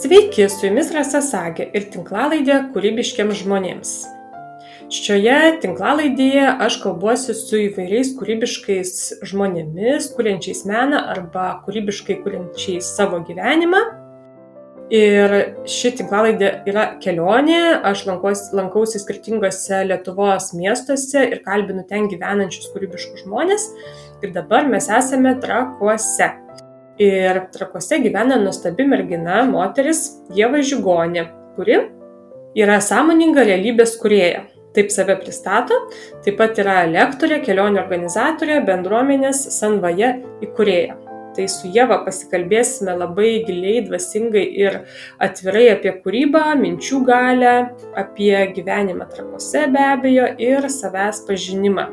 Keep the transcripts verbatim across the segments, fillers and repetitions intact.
Sveiki, su jumis Rasa Sagė ir tinklalaidė kūrybiškiams žmonėms. Šioje tinklalaidėje aš kalbuosi su įvairiais kūrybiškais žmonėmis, kuriančiais meną arba kūrybiškai kuriančiais savo gyvenimą. Ir ši tinklalaidė yra kelionė, aš lankausi, lankausi skirtingose Lietuvos miestuose ir kalbinu ten gyvenančius kūrybiškus žmonės. Ir dabar mes esame Trakuose. Ir Trakuose gyvena nuostabi mergina, moteris Ieva Žigonė, kuri yra sąmoninga realybės kūrėja. Taip save pristato, taip pat yra lektorė, kelionių organizatorė, bendruomenės Sanvaja įkūrėja. Tai su Ieva pasikalbėsime labai giliai, dvasingai ir atvirai apie kūrybą, minčių galią, apie gyvenimą Trakuose be abejo ir savęs pažinimą.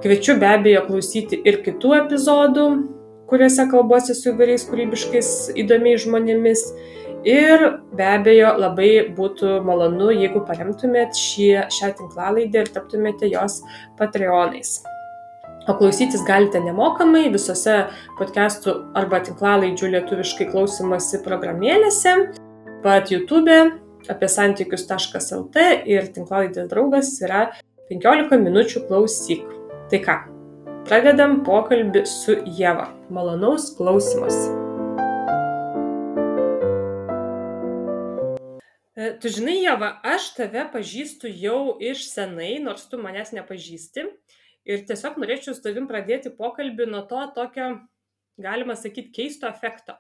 Kviečiu be abejo klausyti ir kitų epizodų, kuriuose kalbuosi su įvairiais kūrybiškais įdomiais žmonėmis. Ir be abejo labai būtų malonu, jeigu paremtumėt šį, šią tinklalaidę ir taptumėte jos patreonais. O klausytis galite nemokamai visose podcastų arba tinklalaidžių lietuviškai klausymosi programėlėse, pat YouTube, apie santykius taškas lt ir tinklalaidės draugas yra penkiolika minučių klausyk. Tai ką, pradedam pokalbį su Ieva. Malonaus klausymosi. Tu žinai, Ieva, aš tave pažįstu jau iš senai, nors tu manęs nepažįsti. Ir tiesiog norėčiau su tavim pradėti pokalbį nuo to tokio, galima sakyti, keisto efekto.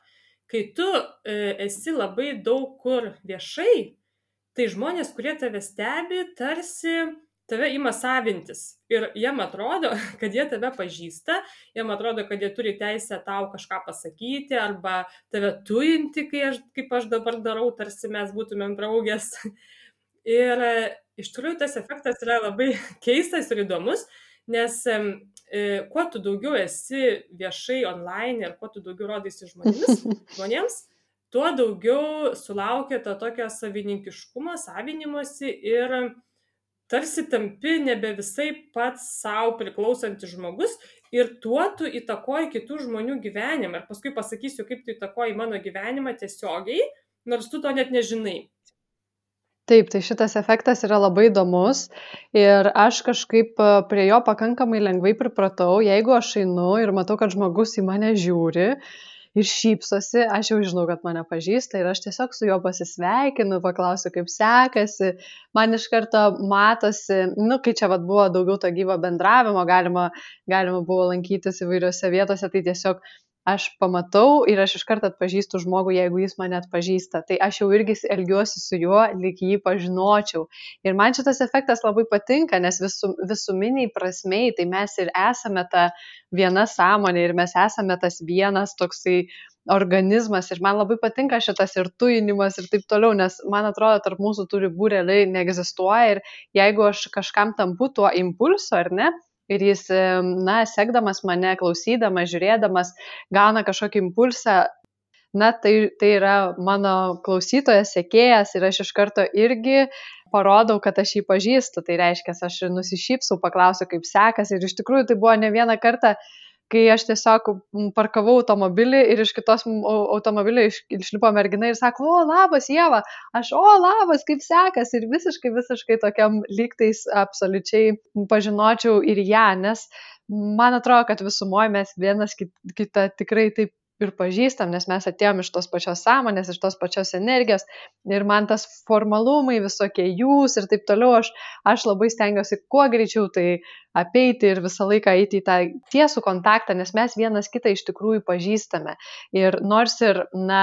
Kai tu e, esi labai daug kur viešai, tai žmonės, kurie tave stebi, tarsi tave ima savintis. Ir jiem atrodo, kad jie tave pažįsta, jiem atrodo, kad jie turi teisę tau kažką pasakyti arba tave tujinti, kai aš, kaip aš dabar darau, tarsi mes būtumėm draugės. Ir e, iš tikrųjų tas efektas yra labai keistas ir įdomus. Nes e, kuo tu daugiau esi viešai online ir kuo tu daugiau rodaisi žmonėmis, žmonėms, tuo daugiau sulaukia to tokio savininkiškumo, savinimosi ir tarsi tampi nebe visai pats savo priklausantis žmogus ir tuo tu įtakoji kitų žmonių gyvenimą. Ir paskui pasakysiu, kaip tu įtakoji mano gyvenimą tiesiogiai, nors tu to net nežinai. Taip, tai šitas efektas yra labai įdomus ir aš kažkaip prie jo pakankamai lengvai pripratau. Jeigu aš einu ir matau, kad žmogus į mane žiūri ir šypsosi, aš jau žinau, kad mane pažįsta ir aš tiesiog su juo pasisveikinu, paklausiu, kaip sekasi. Man iš karto matosi, nu, kai čia vat buvo daugiau to gyvo bendravimo, galima, galima buvo lankytis įvairiose vietose, tai tiesiog aš pamatau ir aš iš karto atpažįstu žmogų, jeigu jis mane atpažįsta. Tai aš jau irgi elgiuosi su juo, lyg jį pažinočiau. Ir man šitas efektas labai patinka, nes visum, visuminiai prasmei, tai mes ir esame ta viena sąmonė ir mes esame tas vienas toksai organizmas. Ir man labai patinka šitas ir tujinimas ir taip toliau, nes man atrodo, tarp mūsų tų ribų realiai neegzistuoja. Ir jeigu aš kažkam tampu tuo impulsu, ar ne? Ir jis, na, sekdamas mane, klausydamas, žiūrėdamas, gauna kažkokį impulsą, na, tai, tai yra mano klausytojas, sekėjas ir aš iš karto irgi parodau, kad aš jį pažįstu. Tai reiškia, aš nusišypsau, paklausiu, kaip sekasi. Ir iš tikrųjų tai buvo ne vieną kartą, kai aš tiesiog parkavau automobilį ir iš kitos automobilio išlipo mergina ir sako, o, labas, Ieva, aš, o, labas, kaip sekas, ir visiškai, visiškai tokiam lygtais absoliučiai pažinočiau ir ją, nes man atrodo, kad visumoje mes vienas kitą tikrai taip ir pažįstam, nes mes atėjom iš tos pačios sąmonės, iš tos pačios energijos ir man tas formalumai visokie jūs ir taip toliau, aš, aš labai stengiuosi kuo greičiau tai apeiti ir visą laiką eiti į tą tiesų kontaktą, nes mes vienas kitą iš tikrųjų pažįstame. Ir nors ir, na,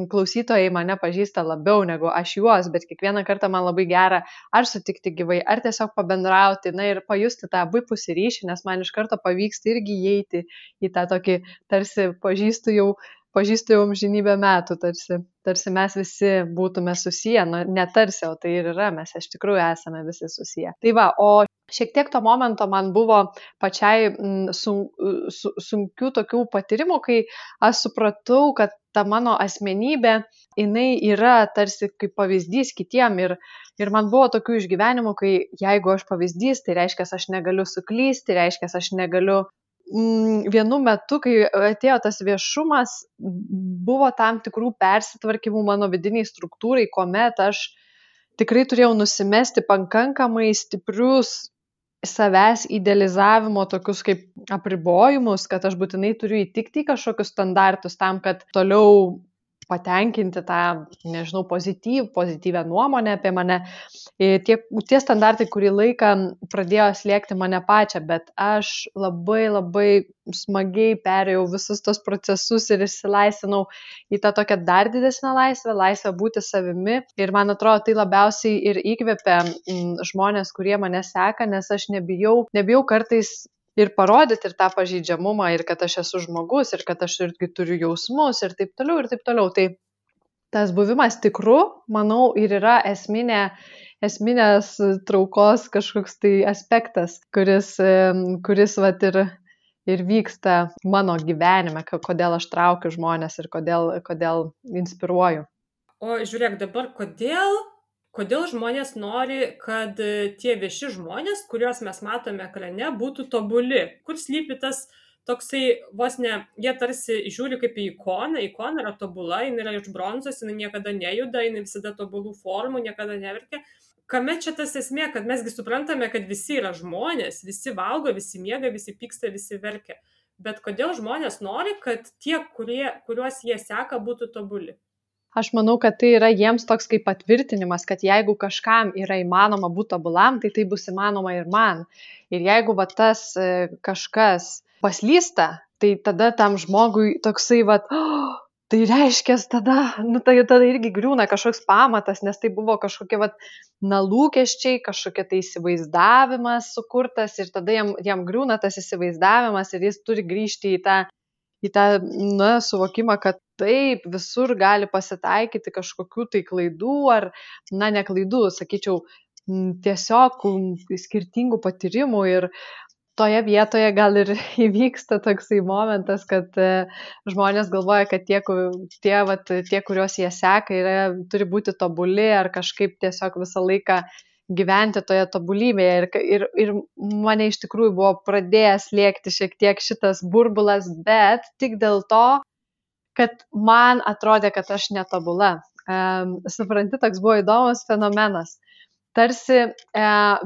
klausytojai mane pažįsta labiau negu aš juos, bet kiekvieną kartą man labai gera ar sutikti gyvai, ar tiesiog pabendrauti, na ir pajusti tą abipusį ryšį, nes man iš karto pavyksta irgi įeiti į tą tokį tarsi pažįstu jau pažįstu jau amžinybę metų, tarsi, tarsi mes visi būtume susiję, nu, ne tarsi, o tai ir yra, mes iš tikrųjų esame visi susiję. Tai va, o šiek tiek to momento man buvo pačiai sun, su, sunkių tokių patyrimų, kai aš supratau, kad ta mano asmenybė, jinai yra tarsi kaip pavyzdys kitiem ir, ir man buvo tokių išgyvenimų, kai jeigu aš pavyzdys, tai reiškia, aš negaliu suklysti, reiškia, aš negaliu mm, vienu metu, kai atėjo tas viešumas, buvo tam tikrų persitvarkymų mano vidiniai struktūrai, kuomet aš tikrai turėjau nusimesti pakankamai stiprius savęs idealizavimo tokius kaip apribojimus, kad aš būtinai turiu įtikti į kažkokius standartus tam, kad toliau patenkinti tą, nežinau, pozityv, pozityvę nuomonę apie mane. Tie, tie standartai kurį laiką pradėjo slėgti mane pačią, bet aš labai labai smagiai perėjau visus tos procesus ir išsilaisvinau į tą tokią dar didesnę laisvę, laisvę būti savimi. Ir man atrodo, tai labiausiai ir įkvepia žmonės, kurie mane seka, nes aš nebijau, nebijau kartais ir parodyti ir tą pažeidžiamumą, ir kad aš esu žmogus, ir kad aš irgi turiu jausmus, ir taip toliau, ir taip toliau. Tai tas buvimas tikru, manau, ir yra esminė, esminės traukos kažkoks tai aspektas, kuris, kuris vat, ir, ir vyksta mano gyvenime, kodėl aš traukiu žmonės ir kodėl, kodėl inspiruoju. O žiūrėk dabar, kodėl... Kodėl žmonės nori, kad tie vieši žmonės, kuriuos mes matome ekrane, būtų tobuli? Kur slypi tas toksai, vos ne, jie tarsi žiūri kaip į ikoną, ikona yra tobula, jinai yra iš bronzos, jinai niekada nejuda, jinai visada tobulų formų, niekada neverkia. Kame čia tas esmė, kad mesgi suprantame, kad visi yra žmonės, visi valgo, visi miega, visi pyksta, visi verkia. Bet kodėl žmonės nori, kad tie, kurie, kuriuos jie seka, būtų tobuli? Aš manau, kad tai yra jiems toks kaip patvirtinimas, kad jeigu kažkam yra įmanoma būti tobulam, tai tai bus įmanoma ir man. Ir jeigu va, tas kažkas paslysta, tai tada tam žmogui toksai, va, oh, tai reiškia, tada, nu, tai, tada irgi griūna kažkoks pamatas, nes tai buvo kažkokie va, na, lūkesčiai, kažkokie tai įsivaizdavimas sukurtas ir tada jam, jam griūna tas įsivaizdavimas ir jis turi grįžti į tą į tą, na, suvokimą, kad taip, visur gali pasitaikyti kažkokių tai klaidų ar, na, ne klaidų, sakyčiau, tiesiog skirtingų patyrimų ir toje vietoje gal ir įvyksta toksai momentas, kad žmonės galvoja, kad tie, tie, vat, tie kuriuos jie seka, yra, turi būti tobuli ar kažkaip tiesiog visą laiką gyventi toje tobulybėje ir, ir, ir mane iš tikrųjų buvo pradėjęs lėkti šiek tiek šitas burbulas, bet tik dėl to, kad man atrodė, kad aš netobula. Um, supranti, toks buvo įdomus fenomenas. Tarsi e,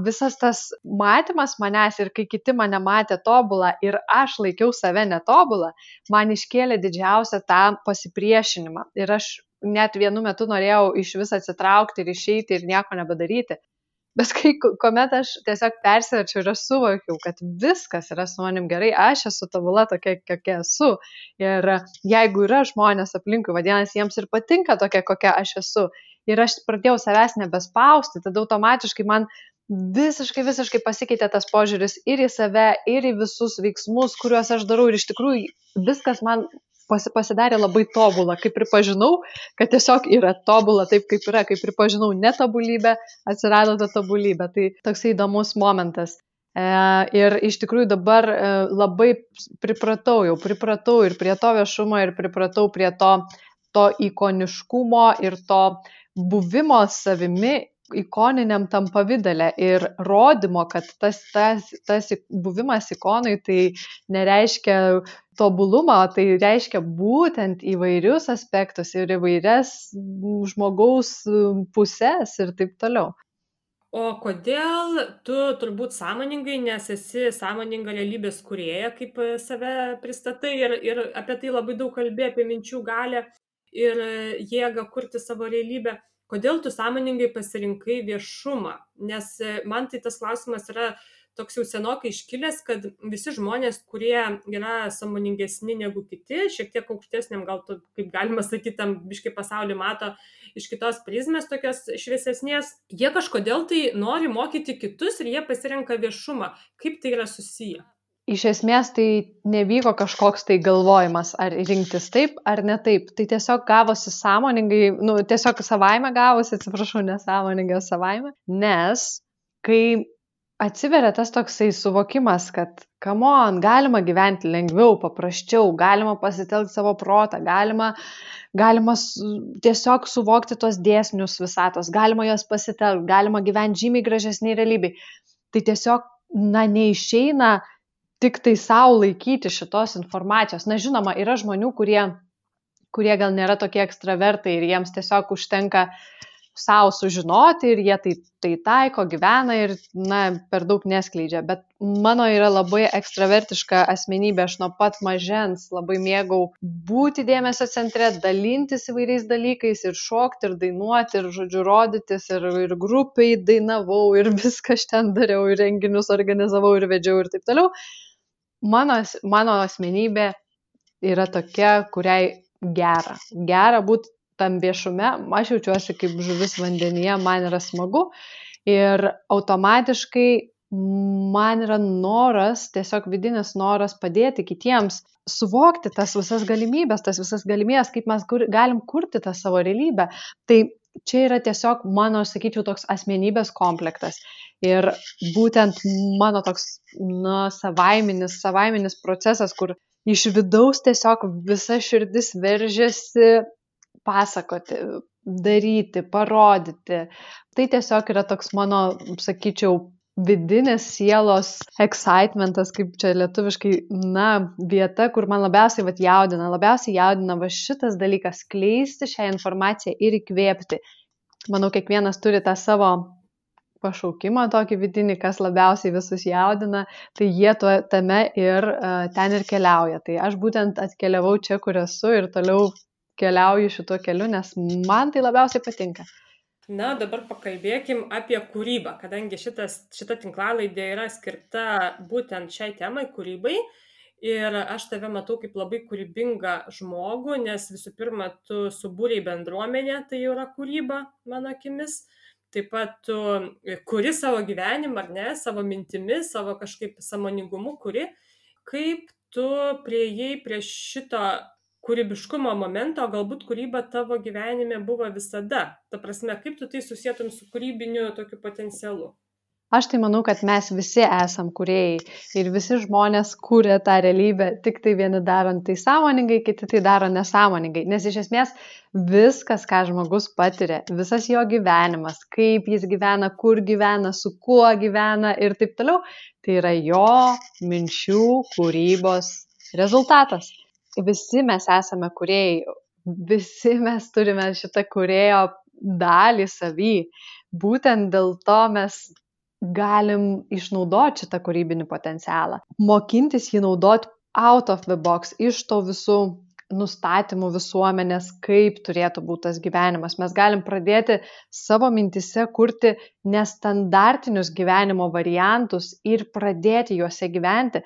visas tas matymas manęs ir kai kiti mane matė tobulą ir aš laikiau save netobulą, man iškėlė didžiausią tą pasipriešinimą. Ir aš net vienu metu norėjau iš vis atsitraukti ir išeiti ir nieko nebedaryti. Bet kai, kuomet aš tiesiog persiverčiau ir aš suvokiau, kad viskas yra su manim gerai, aš esu tobula tokia, kokia esu. Ir jeigu yra žmonės aplinkui, vadinasi, jiems ir patinka tokia, kokia aš esu. Ir aš pradėjau savęs nebespausti, tada automatiškai man visiškai, visiškai pasikeitė tas požiūris ir į save, ir į visus veiksmus, kuriuos aš darau. Ir iš tikrųjų viskas man pasidarė labai tobula, kai pripažinau, kad tiesiog yra tobula taip, kaip yra, kai pripažinau netobulybę, atsirado ta tobulybė. Tai toksai įdomus momentas. E, ir iš tikrųjų dabar e, labai pripratau, jau pripratau ir prie to viešumo, ir pripratau prie to, to ikoniškumo ir to buvimo savimi ikoniniam tam pavidale ir rodymo, kad tas, tas, tas buvimas ikonai tai nereiškia tobulumą, tai reiškia būtent įvairius aspektus ir įvairias žmogaus pusės ir taip toliau. O kodėl tu turbūt sąmoningai, nes esi sąmoninga realybės kūrėja, kaip save pristatai ir, ir apie tai labai daug kalbė, apie minčių galią ir jėgą kurti savo realybę. Kodėl tu sąmoningai pasirinkai viešumą? Nes man tai tas klausimas yra toks jau senokai iškilęs, kad visi žmonės, kurie yra sąmoningesni negu kiti, šiek tiek aukštesniam, gal tu, kaip galima sakyti, tam biškai pasaulį mato iš kitos prizmės tokios šviesesnės, jie kažkodėl tai nori mokyti kitus ir jie pasirenka viešumą. Kaip tai yra susiję? Iš esmės tai nevyko kažkoks tai galvojimas, ar rinktis taip ar ne taip. Tai tiesiog gavosi sąmoningai, nu, tiesiog savaime gavosi, atsiprašau, nesąmoningai savaime, nes kai atsiveria tas toksai suvokimas, kad come on, galima gyventi lengviau, paprasčiau, galima pasitelkti savo protą, galima, galima tiesiog suvokti tos dėsnius visatos, galima juos pasitelkti, galima gyventi žymiai gražesniai realybei. Tai tiesiog, na, neišeina tik tai savo laikyti šitos informacijos. Na, žinoma, yra žmonių, kurie, kurie gal nėra tokie ekstravertai ir jiems tiesiog užtenka savo sužinoti ir jie tai, tai taiko, gyvena ir, na, per daug neskleidžia. Bet mano yra labai ekstravertiška asmenybė, aš nuo pat mažens labai mėgau būti dėmesio centre, dalintis įvairiais dalykais ir šokti, ir dainuoti, ir, žodžiu, rodytis, ir, ir grupiai dainavau, ir viską aš ten dariau, ir renginius organizavau, ir vedžiau, ir taip toliau. Mano, mano asmenybė yra tokia, kuriai gera. Gera būti tam viešume, aš jaučiuosi kaip žuvis vandenyje, man yra smagu ir automatiškai man yra noras, tiesiog vidinis noras padėti kitiems suvokti tas visas galimybės, tas visas galimybės, kaip mes kur, galim kurti tą savo realybę. Tai čia yra tiesiog mano, sakyčiau, toks asmenybės komplektas. Ir būtent mano toks, na, savaiminis, savaiminis procesas, kur iš vidaus tiesiog visa širdis veržiasi pasakoti, daryti, parodyti. Tai tiesiog yra toks mano, sakyčiau, vidinis sielos excitementas, kaip čia lietuviškai, na, vieta, kur man labiausiai vat, jaudina, labiausiai jaudina va šitas dalykas, skleisti šią informaciją ir įkvėpti. Manau, kiekvienas turi tą savo pašaukimą tokį vidinį, kas labiausiai visus jaudina, tai jie tuo, tame ir uh, ten ir keliauja. Tai aš būtent atkeliavau čia, kur esu ir toliau keliauju šituo keliu, nes man tai labiausiai patinka. Na, dabar pakalbėkim apie kūrybą, kadangi šitas, šita tinklalaidė yra skirta būtent šiai temai, kūrybai. Ir aš tave matau kaip labai kūrybingą žmogų, nes visų pirma, tu subūrei bendruomenę, tai yra kūryba, mano akimis. Taip pat tu kuri savo gyvenimą, ar ne, savo mintimis, savo kažkaip sąmoningumu kuri. Kaip tu priėjai prie šito kūrybiškumo momento, galbūt kūryba tavo gyvenime buvo visada. Ta prasme, kaip tu tai susietum su kūrybiniu tokiu potencialu? Aš tai manau, kad mes visi esam kūrėjai ir visi žmonės kūrė tą realybę, tik tai vieni darant tai sąmoningai, kiti tai daro nesąmoningai. Nes iš esmės viskas, ką žmogus patiria, visas jo gyvenimas, kaip jis gyvena, kur gyvena, su kuo gyvena ir taip toliau, tai yra jo minčių kūrybos rezultatas. Visi mes esame kūrėjai, visi mes turime šitą kūrėjo dalį savy. Būtent dėl to mes galim išnaudoti šitą kūrybinį potencialą. Mokintis jį naudoti out of the box, iš to visų nustatymų visuomenės, kaip turėtų būti tas gyvenimas. Mes galim pradėti savo mintise kurti nestandartinius gyvenimo variantus ir pradėti juose gyventi,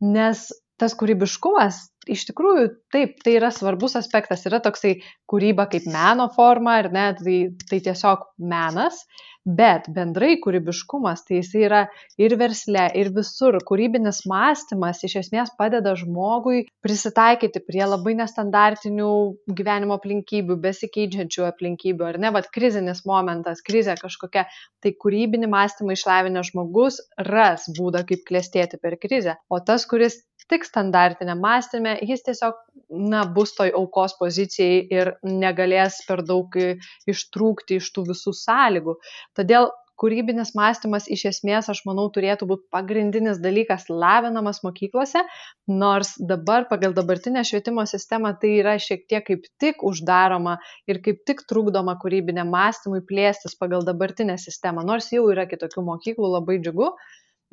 nes tas kūrybiškumas, iš tikrųjų, taip, tai yra svarbus aspektas, yra toksai kūryba kaip meno forma, ar ne, tai, tai tiesiog menas, bet bendrai kūrybiškumas, tai jis yra ir versle, ir visur. Kūrybinis mąstymas iš esmės padeda žmogui prisitaikyti prie labai nestandartinių gyvenimo aplinkybių, besikeičiančių aplinkybių, ar ne, vat krizinis momentas, krizė kažkokia, tai kūrybinį mąstymą išlavinęs žmogus ras būdą, kaip klestėti per krizę, o tas, kuris tik standartiniam mąstyme, jis tiesiog, na, bus toj aukos pozicijai ir negalės per daug ištrūkti iš tų visų sąlygų. Todėl kūrybinis mąstymas iš esmės, aš manau, turėtų būti pagrindinis dalykas lavinamas mokyklose, nors dabar pagal dabartinę švietimo sistemą tai yra šiek tiek kaip tik uždaroma ir kaip tik trukdoma kūrybiniam mąstymui plėstis pagal dabartinę sistemą, nors jau yra kitokių mokyklų, labai džiugu,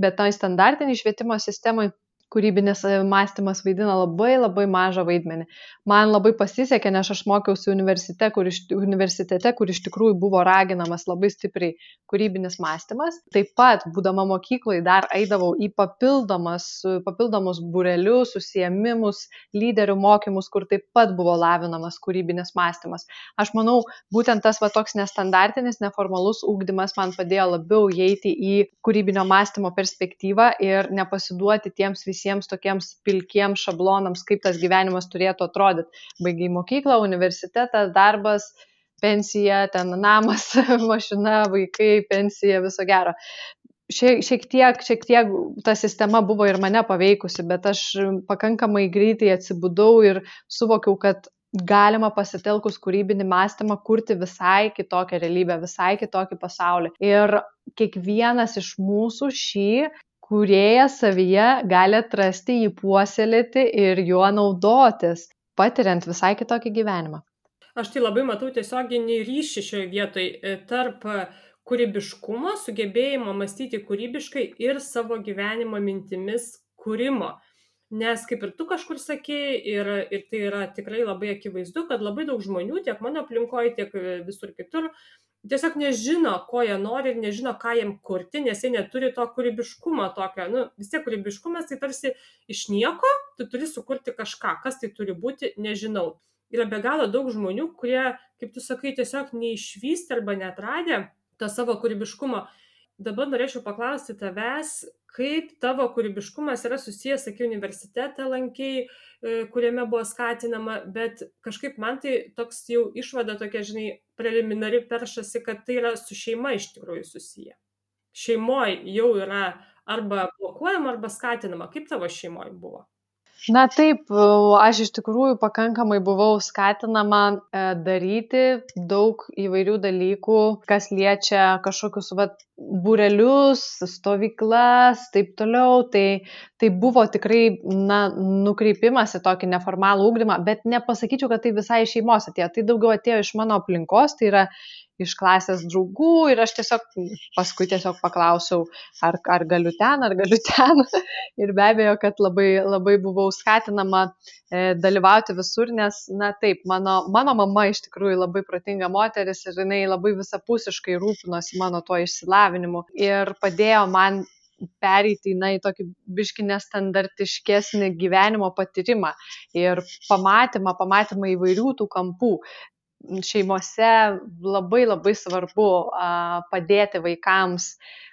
bet toj standartiniai švietimo sistemai kūrybinis mąstymas vaidina labai labai mažą vaidmenį. Man labai pasisekė, nes aš mokiausi universitete, kur iš, universitete, kur iš tikrųjų buvo raginamas labai stipriai kūrybinis mąstymas. Taip pat, būdama mokykloje, dar eidavau į papildomus būrelius, užsiėmimus, lyderių mokymus, kur taip pat buvo lavinamas kūrybinis mąstymas. Aš manau, būtent tas va, toks nestandartinis, neformalus ugdymas man padėjo labiau įeiti į kūrybinio mąstymo perspektyvą ir nepasiduoti tiems visiems visiems tokiems pilkiems šablonams, kaip tas gyvenimas turėtų atrodyti. Baigiai mokyklą, universitetas, darbas, pensija, ten namas, mašina, vaikai, pensija, viso gero. Šiek, šiek tiek, šiek tiek ta sistema buvo ir mane paveikusi, bet aš pakankamai greitai atsibudau ir suvokiau, kad galima pasitelkus kūrybinį mąstymą kurti visai kitokią realybę, visai kitokį pasaulį. Ir kiekvienas iš mūsų šį kūrėjas savyje gali atrasti, jį puoselėti ir juo naudotis, patiriant visai kitokį gyvenimą. Aš tai labai matau tiesioginį ryšį šioje vietoje tarp kūrybiškumo, sugebėjimo mąstyti kūrybiškai ir savo gyvenimo mintimis kūrimo. Nes kaip ir tu kažkur sakei, ir, ir tai yra tikrai labai akivaizdu, kad labai daug žmonių, tiek mano aplinkoje, tiek visur kitur, tiesiog nežino, ko jie nori ir nežino, ką jiem kurti, nes jie neturi to kūrybiškumo tokio. Nu, vis tiek kūrybiškumas tai tarsi iš nieko, tu turi sukurti kažką, kas tai turi būti, nežinau. Yra be galo daug žmonių, kurie, kaip tu sakai, tiesiog neišvystė arba neatradė to savo kūrybiškumo. Dabar norėčiau paklausti tavęs, kaip tavo kūrybiškumas yra susijęs, sakai, universitetą lankei, kuriame buvo skatinama, bet kažkaip man tai toks jau išvada tokia, žinai, preliminari peršasi, kad tai yra su šeima iš tikrųjų susiję. Šeimoje jau yra arba blokuojama, arba skatinama. Kaip tavo šeimoje buvo? Na taip, aš iš tikrųjų pakankamai buvau skatinama daryti daug įvairių dalykų, kas liečia kažkokius vat, būrelius, stovyklas, taip toliau. Tai, tai buvo tikrai na, nukreipimas į tokį neformalų ugdymą, bet nepasakyčiau, kad tai visai iš šeimos atėjo. Tai daugiau atėjo iš mano aplinkos, tai yra iš klasės draugų ir aš tiesiog paskui tiesiog paklausiau, ar, ar galiu ten, ar galiu ten. Ir be abejo, kad labai, labai buvau skatinama e, dalyvauti visur, nes, na taip, mano, mano mama iš tikrųjų labai protinga moteris ir jinai labai visapusiškai rūpinosi mano tuo išsilavinimu ir padėjo man pereiti na, į tokį biškį nestandartiškesnį gyvenimo patyrimą ir pamatymą, pamatymą įvairių tų kampų. Šeimose labai labai svarbu a, padėti vaikams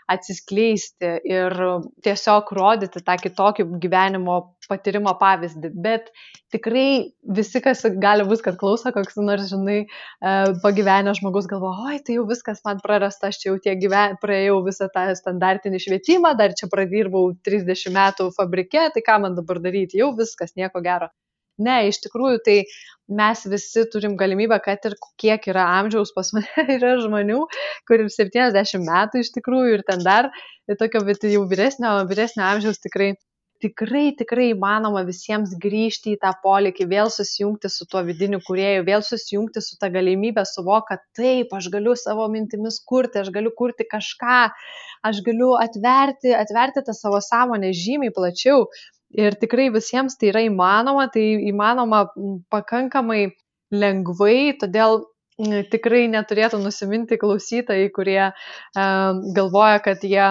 atsiskleisti ir tiesiog rodyti tą kitokį gyvenimo patyrimo pavyzdį. Bet tikrai visi, kas gali būti, kad klauso, koks nors, žinai, pagyvenęs žmogus galvoja, oi, tai jau viskas man prarasta, aš čia jau tiek gyven... praėjau visą tą standartinį švietimą, dar čia pradirbau trisdešimt metų fabrike, tai ką man dabar daryti, jau viskas, nieko gero. Ne, iš tikrųjų, tai mes visi turim galimybę, kad ir kiek yra amžiaus, pas mane yra žmonių, kur ir septyniasdešimt metų iš tikrųjų ir ten dar tokio, bet jau vyresnio, vyresnio amžiaus tikrai, tikrai, tikrai įmanoma visiems grįžti į tą polėkį, vėl susijungti su tuo vidiniu kūrėju, vėl susijungti su tą galimybę suvokti, kad taip, aš galiu savo mintimis kurti, aš galiu kurti kažką, aš galiu atverti, atverti tą savo sąmonę žymiai plačiau. Ir tikrai visiems tai yra įmanoma, tai įmanoma pakankamai lengvai, todėl tikrai neturėtų nusiminti klausytojai, kurie e, galvoja, kad jie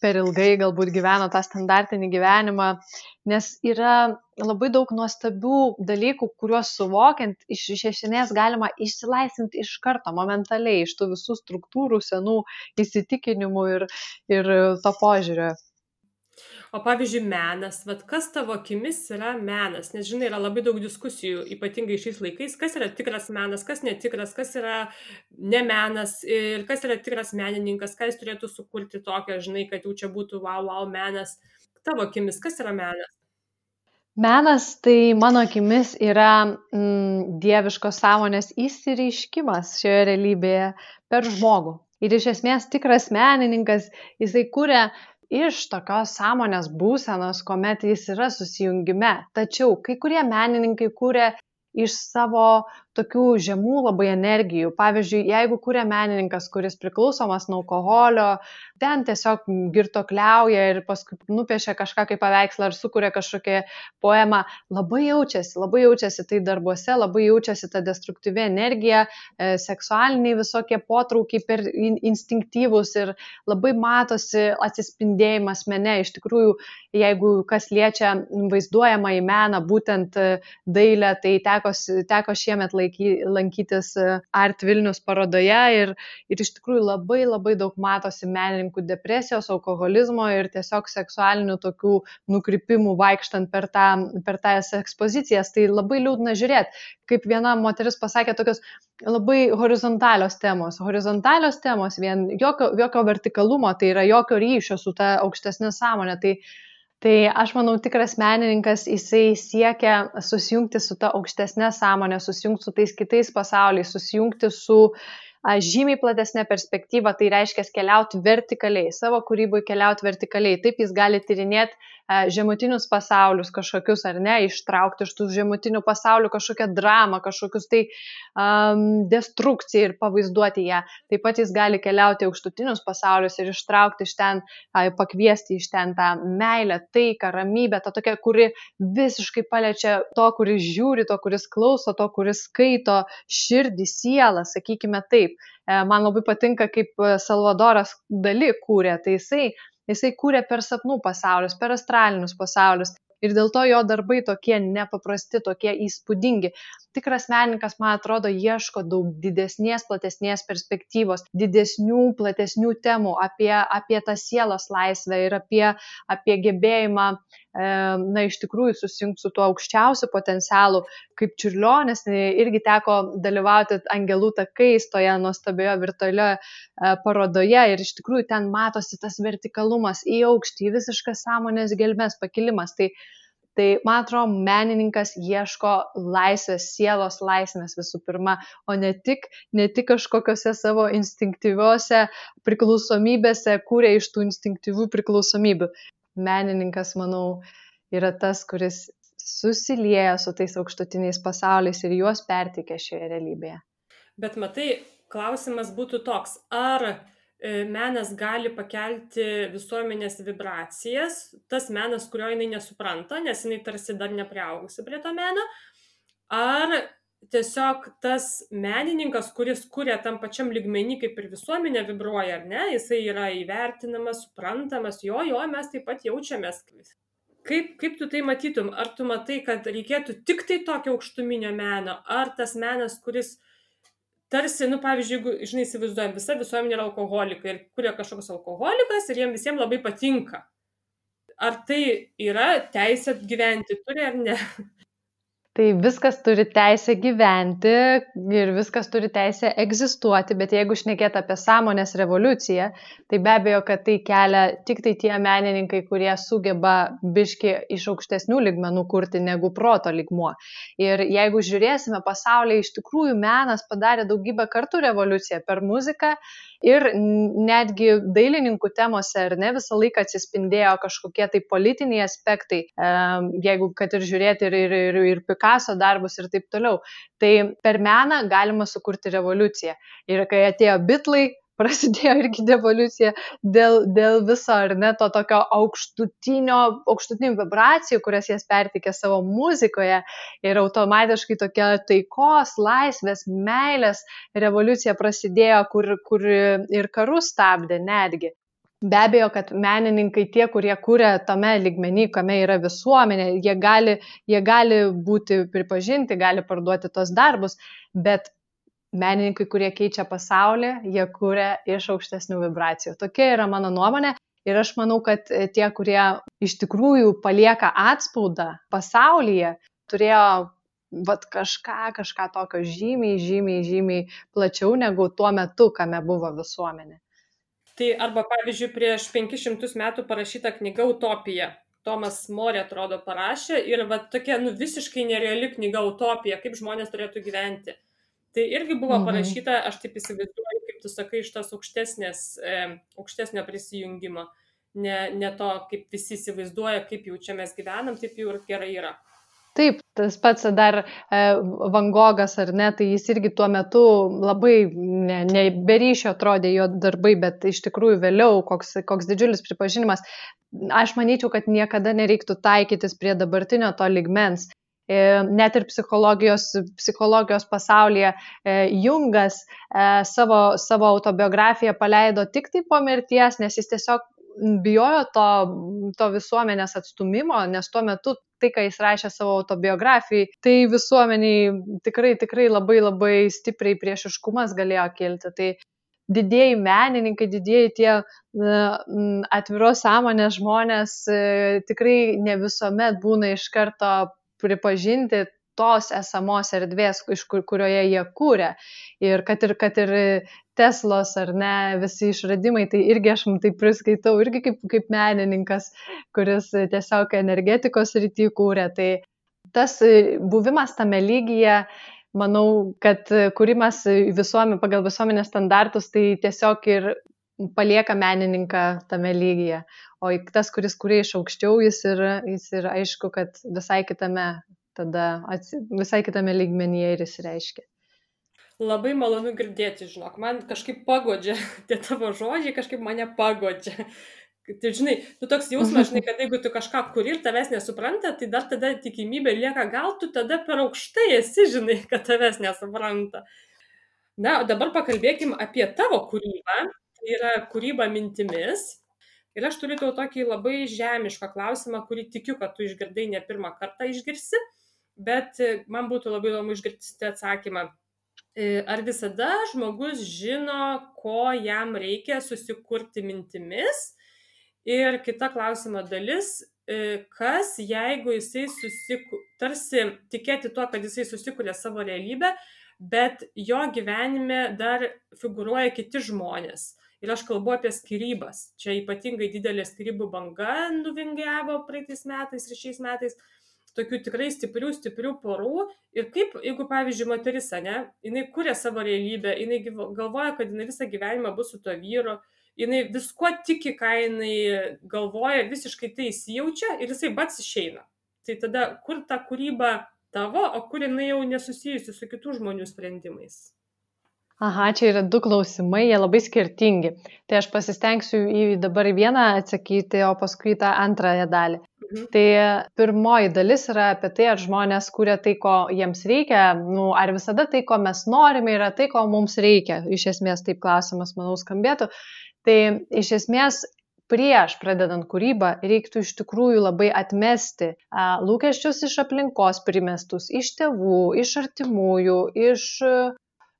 per ilgai galbūt gyveno tą standartinį gyvenimą, nes yra labai daug nuostabių dalykų, kuriuos suvokiant iš, iš esmės galima išsilaisvinti iš karto, momentaliai, iš tų visų struktūrų, senų įsitikinimų ir, ir to požiūrio. O pavyzdžiui, menas, vat kas tavo akimis yra menas? Nes, žinai, yra labai daug diskusijų, ypatingai šiais laikais, kas yra tikras menas, kas netikras, kas yra ne menas ir kas yra tikras menininkas, ką jis turėtų sukurti tokio, žinai, kad jau čia būtų wow, wow menas. Tavo akimis, kas yra menas? Menas tai mano akimis yra mm, dieviškos sąmonės įsireiškimas šioje realybėje per žmogų. Ir iš esmės tikras menininkas, jisai kuria iš tokios sąmonės būsenos, kuomet jis yra susijungime. Tačiau kai kurie menininkai kuria iš savo tokių žemų labai energijų. Pavyzdžiui, jeigu kuria menininkas, kuris priklausomas nuo alkoholio, ten tiesiog girtuokliauja ir paskui nupiešia kažką kaip paveikslą ar sukuria kažkokią poemą, labai jaučiasi, labai jaučiasi tai darbuose, labai jaučiasi ta destruktyvi energija, e, seksualiniai visokie potraukiai per in, instinktyvus ir labai matosi atsispindėjimas mene. Iš tikrųjų, jeigu kas liečia vaizduojamą į meną, būtent dailę, tai teko, teko šiemet laikyti lankytis Art Vilnius parodoje ir, ir iš tikrųjų labai labai daug matosi menininkų depresijos, alkoholizmo ir tiesiog seksualinių tokių nukrypimų vaikštant per, tą, per tas ekspozicijas. Tai labai liūdna žiūrėti, kaip viena moteris pasakė, tokios labai horizontalios temos. Horizontalios temos, vien jokio, jokio vertikalumo, tai yra jokio ryšio su ta aukštesnė sąmonė. Tai Tai aš manau, tikras menininkas, jisai siekia susijungti su ta aukštesnė sąmonė, susijungti su tais kitais pasauliais, susijungti su žymiai platesnė perspektyva, tai reiškia keliauti vertikaliai, savo kūrybai keliauti vertikaliai. Taip jis gali tyrinėti žemutinius pasaulius kažkokius, ar ne, ištraukti iš tų žemutinių pasaulių kažkokią dramą, kažkokius tai um, destrukciją ir pavaizduoti ją. Taip pat jis gali keliauti aukštutinius pasaulius ir ištraukti iš ten, pakviesti iš ten tą meilę, taiką, ramybę, tą tokią, kuri visiškai paliečia to, kuris žiūri, to, kuris klauso, to, kuris skaito, širdį, sielą, sakykime taip. Man labai patinka, kaip Salvadoras Dali kūrė, tai jisai Jisai kūrė per sapnų pasaulius, per astralinius pasaulius ir dėl to jo darbai tokie nepaprasti, tokie įspūdingi. Tikras menininkas, man atrodo, ieško daug didesnės, platesnės perspektyvos, didesnių, platesnių temų apie, apie tą sielos laisvę ir apie, apie gebėjimą, e, na, iš tikrųjų susijungti su tuo aukščiausiu potencialu. Kaip Čiurlionis irgi teko dalyvauti Angelų takais toje nuostabioje virtualioje parodoje ir iš tikrųjų ten matosi tas vertikalumas į aukštį, visiškas sąmonės gelmės pakilimas. Tai, tai man atrodo, menininkas ieško laisvės, sielos laisvės visų pirma, o ne tik, ne tik kažkokiose savo instinktyviose priklausomybėse kūrė iš tų instinktyvių priklausomybių. Menininkas, manau, yra tas, kuris susilieja su tais aukštutiniais pasauliais ir juos perteikia šioje realybėje. Bet matai, klausimas būtų toks, ar menas gali pakelti visuomenės vibracijas, tas menas, kurio jinai nesupranta, nes jinai tarsi dar nepriaugusi prie to meno, ar tiesiog tas menininkas, kuris kuria tam pačiam lygmenį, kaip ir visuomenė vibruoja, ar ne, jisai yra įvertinamas, suprantamas, jo, jo, mes taip pat jaučiamės. Kaip, kaip tu tai matytum? Ar tu matai, kad reikėtų tik tai tokio aukštuminio meno, ar tas menas, kuris tarsi, nu, pavyzdžiui, jeigu, žinai, įsivaizduojam, visa visuomenė yra alkoholikai ir kuria kažkoks alkoholikas ir jiems visiems labai patinka. Ar tai yra teisė gyventi, turi ar ne? Tai viskas turi teisę gyventi ir viskas turi teisę egzistuoti, bet jeigu šnekėt apie sąmonės revoliuciją, tai be abejo, kad tai kelia tik tai tie menininkai, kurie sugeba biški iš aukštesnių lygmenų kurti negu proto lygmuo. Ir jeigu žiūrėsime pasaulyje, iš tikrųjų menas padarė daugybę kartų revoliuciją per muziką ir netgi dailininkų temose, ar ne, visą laiką atsispindėjo kažkokie tai politiniai aspektai, jeigu kad ir žiūrėti ir, ir, ir, ir Picasso darbus ir taip toliau. Tai per meną galima sukurti revoliuciją. Ir kai atėjo Beatlai, prasidėjo irgi revoliucija dėl, dėl viso, ar ne, to tokio aukštutinio, aukštutinių vibracijų, kurias jas pertikė savo muzikoje ir automatiškai tokia taikos, laisvės, meilės revoliucija prasidėjo, kur, kur ir karus stabdė netgi. Be abejo, kad menininkai, tie, kurie kūrė tame lygmenį, kame yra visuomenė, jie gali, jie gali būti pripažinti, gali parduoti tos darbus, bet menininkai, kurie keičia pasaulį, jie kūrė iš aukštesnių vibracijų. Tokia yra mano nuomonė ir aš manau, kad tie, kurie iš tikrųjų palieka atspaudą pasaulyje, turėjo vat, kažką, kažką tokio žymiai, žymiai, žymiai plačiau negu tuo metu, kame buvo visuomenė. Tai arba, pavyzdžiui, prieš penkis šimtus metų parašyta knyga Utopija. Tomas Morė, atrodo, parašė ir va, tokia nu, visiškai nereali knyga Utopija, kaip žmonės turėtų gyventi. Tai irgi buvo parašyta, aš taip įsivaizduoju, kaip tu sakai, iš tos aukštesnės, e, aukštesnio prisijungimo. Ne, ne to, kaip visi įsivaizduoja, kaip jau čia mes gyvenam, taip jau ir gerai yra. Taip, tas pats dar e, Van Gogas, ar ne, tai jis irgi tuo metu labai ne, ne be ryšio atrodė jo darbai, bet iš tikrųjų vėliau koks, koks didžiulis pripažinimas. Aš manyčiau, kad niekada nereiktų taikytis prie dabartinio to lygmens. Net ir psichologijos, psichologijos pasaulyje Jungas savo, savo autobiografiją paleido tik tai po mirties, nes jis tiesiog bijojo to, to visuomenės atstumimo, nes tuo metu tai, ką jis rašė savo autobiografijai, tai visuomeniai tikrai, tikrai labai labai stipriai priešiškumas galėjo kilti. Tai didieji menininkai, didieji tie atviros sąmonės žmonės tikrai ne visuomet būna iš karto pripažinti tos esamos erdvės, iš kur, kurioje jie kūrė. Ir kad ir, kad ir Teslos ar ne, visi išradimai, tai irgi aš tai priskaitau irgi kaip, kaip menininkas, kuris tiesiog energetikos srity kūrė. Tai tas buvimas tame lygyje, manau, kad kūrimas visuomenė, pagal visuomenės standartus, tai tiesiog ir palieka menininką tame lygyje. O tas, kuris kuria iš aukščiau, jis yra, jis yra aišku, kad visai kitame, tada, visai kitame lygmenyje ir jis reiškia. Labai malonu girdėti, žinok, man kažkaip pagodžia, tie tavo žodžiai kažkaip mane pagodžia. Tai žinai, tu toks jausmas, žinai, kad jeigu tu kažką kuri ir tavęs nesupranta, tai dar tada tikimybė lieka, gal tu tada per aukštai esi, žinai, kad tavęs nesupranta. Na, o dabar pakalbėkim apie tavo kūrybą, tai yra kūryba mintimis. Ir aš turiu tau tokį labai žemišką klausimą, kurį tikiu, kad tu išgirdai ne pirmą kartą išgirsi, bet man būtų labai įdomu išgirsti atsakymą. Ar visada žmogus žino, ko jam reikia susikurti mintimis? Ir kita klausimo dalis, kas jeigu jisai susiku, tarsi tikėti tuo, kad jisai susikuria savo realybę, bet jo gyvenime dar figuruoja kiti žmonės. Ir aš kalbu apie skyrybas. Čia ypatingai didelė skyrybų banga nuvingiavo praeitais metais ir šiais metais. Tokių tikrai stiprių, stiprių porų. Ir kaip, jeigu, pavyzdžiui, moteris, ne, jinai kuria savo realybę, jinai galvoja, kad jinai visą gyvenimą bus su to vyru, jinai visko tiki, ką jinai galvoja, visiškai tai įsijaučia ir jisai bats išeina. Tai tada, kur ta kūryba tavo, o kur jinai jau nesusijusi su kitų žmonių sprendimais? Aha, čia yra du klausimai, jie labai skirtingi. Tai aš pasistengsiu į dabar vieną atsakyti, o paskui tą antrąją dalį. Mhm. Tai pirmoji dalis yra apie tai, ar žmonės kuria tai, ko jiems reikia, nu, ar visada tai, ko mes norime, yra tai, ko mums reikia. Iš esmės taip klausimas, manau, skambėtų. Tai iš esmės prieš pradedant kūrybą reiktų iš tikrųjų labai atmesti a, lūkesčius iš aplinkos primestus, iš tėvų, iš artimųjų, iš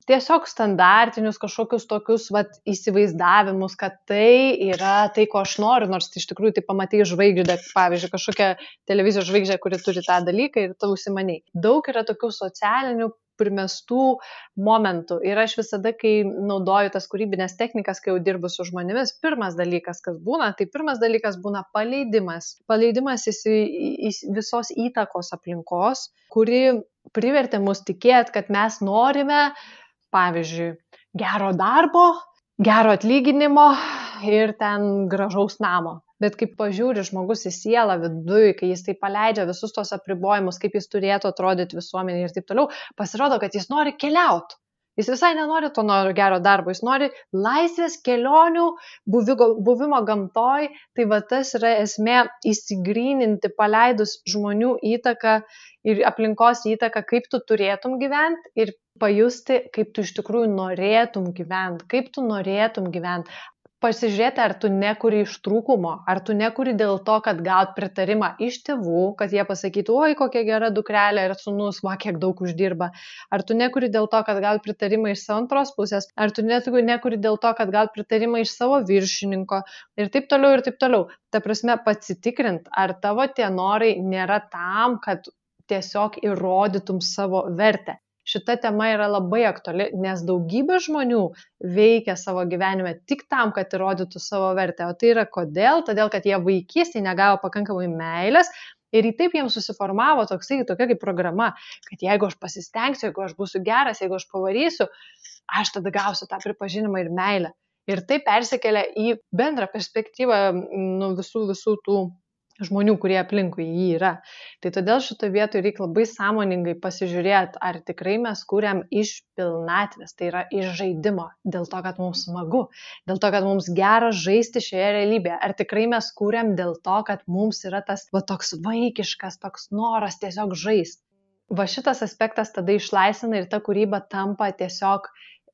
tiesiog standartinius kažkokius tokius vat, įsivaizdavimus, kad tai yra tai, ko aš noriu, nors iš tikrųjų tai pamatai žvaigždę, pavyzdžiui, kažkokią televizijos žvaigždę, kuri turi tą dalyką ir tu užsimaniai. Daug yra tokių socialinių primestų momentų ir aš visada, kai naudoju tas kūrybinės technikas, kai jau dirbu su žmonėmis, pirmas dalykas, kas būna, tai pirmas dalykas būna paleidimas. Paleidimas iš visos įtakos aplinkos, kuri privertė mus tikėti, kad mes norime, pavyzdžiui, gero darbo, gero atlyginimo ir ten gražaus namo. Bet kaip pažiūri žmogus į sielą viduj, kai jis tai paleidžia visus tos apribojimus, kaip jis turėtų atrodyti visuomenėje ir taip toliau, pasirodo, kad jis nori keliauti. Jis visai nenori to nori gero darbo, jis nori laisvės, kelionių, buvimo gamtoj. Tai va tas yra esmė įsigryninti, paleidus žmonių įtaką ir aplinkos įtaką, kaip tu turėtum gyventi ir pajusti, kaip tu iš tikrųjų norėtum gyventi, kaip tu norėtum gyventi. Pasižiūrėti, ar tu nekuri iš trūkumo, ar tu nekuri dėl to, kad gaut pritarimą iš tėvų, kad jie pasakytų, oi, kokia gera dukrelė ir sūnus, va, kiek daug uždirba. Ar tu nekuri dėl to, kad gaut pritarimą iš savo antros pusės, ar tu nekuri dėl to, kad gaut pritarimą iš savo viršininko ir taip toliau ir taip toliau. Ta prasme, pasitikrint, ar tavo tie norai nėra tam, kad tiesiog įrodytum savo vertę. Šita tema yra labai aktuali, nes daugybė žmonių veikia savo gyvenime tik tam, kad įrodytų savo vertę. O tai yra kodėl? Todėl, kad jie vaikystėje negavo pakankamai meilės ir į taip jiems susiformavo toksai, tokia kaip programa, kad jeigu aš pasistengsiu, jeigu aš būsiu geras, jeigu aš pavarysiu, aš tada gausiu tą pripažinimą ir meilę. Ir tai persikelia į bendrą perspektyvą nu, visų, visų tų žmonių, kurie aplinkui jį yra. Tai todėl šitoje vietoje reikia labai sąmoningai pasižiūrėti, ar tikrai mes kuriam iš pilnatvės, tai yra iš žaidimo, dėl to, kad mums smagu, dėl to, kad mums gera žaisti šioje realybėje, ar tikrai mes kuriam dėl to, kad mums yra tas va, toks vaikiškas, toks noras tiesiog žaisti. Va šitas aspektas tada išlaisvina ir ta kūryba tampa tiesiog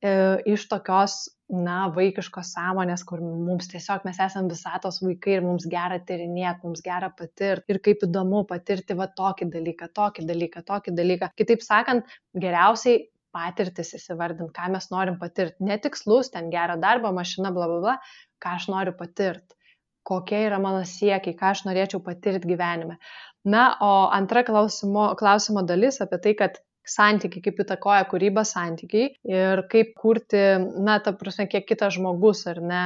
e, iš tokios na, vaikiškos sąmonės, kur mums tiesiog mes esame visatos vaikai ir mums gera tyrinėti, mums gera patirti ir kaip įdomu patirti va tokį dalyką, tokį dalyką, tokį dalyką. Kitaip sakant, geriausiai patirtis įsivardint, ką mes norim patirti. Netikslus, ten gerą darbą, mašina, bla, bla, bla, ką aš noriu patirti, kokie yra mano siekiai, ką aš norėčiau patirti gyvenime. Na, o antra klausimo, klausimo dalis apie tai, kad santykiai, kaip įtakoja kūryba santykiai ir kaip kurti, na, ta prasme, kiek kitas žmogus, ar ne,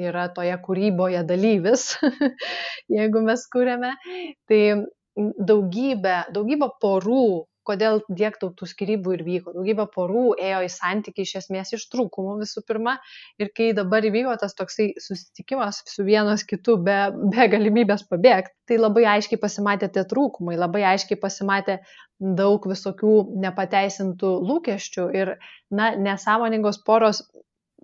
yra toje kūryboje dalyvis, jeigu mes kūrėme. Tai daugybė, daugybė porų kodėl tiek daug tų skyrybų ir vyko. Daugybė porų ėjo į santykį iš esmės iš trūkumų visų pirma. Ir kai dabar įvyko tas toksai susitikimas su vienas kitu be, be galimybės pabėgti, tai labai aiškiai pasimatė tie trūkumai, labai aiškiai pasimatė daug visokių nepateisintų lūkesčių ir, na, nesąmoningos poros,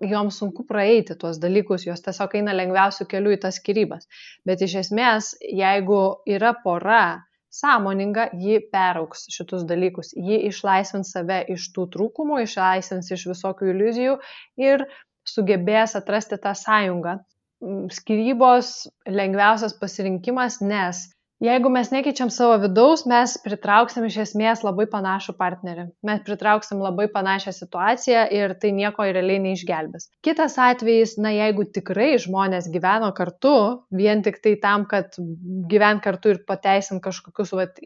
joms sunku praeiti tuos dalykus, jos tiesiog eina lengviausių kelių į tas skyrybas. Bet iš esmės, jeigu yra pora sąmoninga, ji peraugs šitus dalykus, ji išlaisvins save iš tų trūkumų, išlaisvins iš visokių iliuzijų ir sugebės atrasti tą sąjungą. Skyrybos lengviausias pasirinkimas, nes jeigu mes nekeičiam savo vidaus, mes pritrauksim iš esmės labai panašų partnerį. Mes pritrauksim labai panašią situaciją ir tai nieko realiai neišgelbės. Kitas atvejis, na, jeigu tikrai žmonės gyveno kartu, vien tik tai tam, kad gyvent kartu ir pateisint kažkokius vat,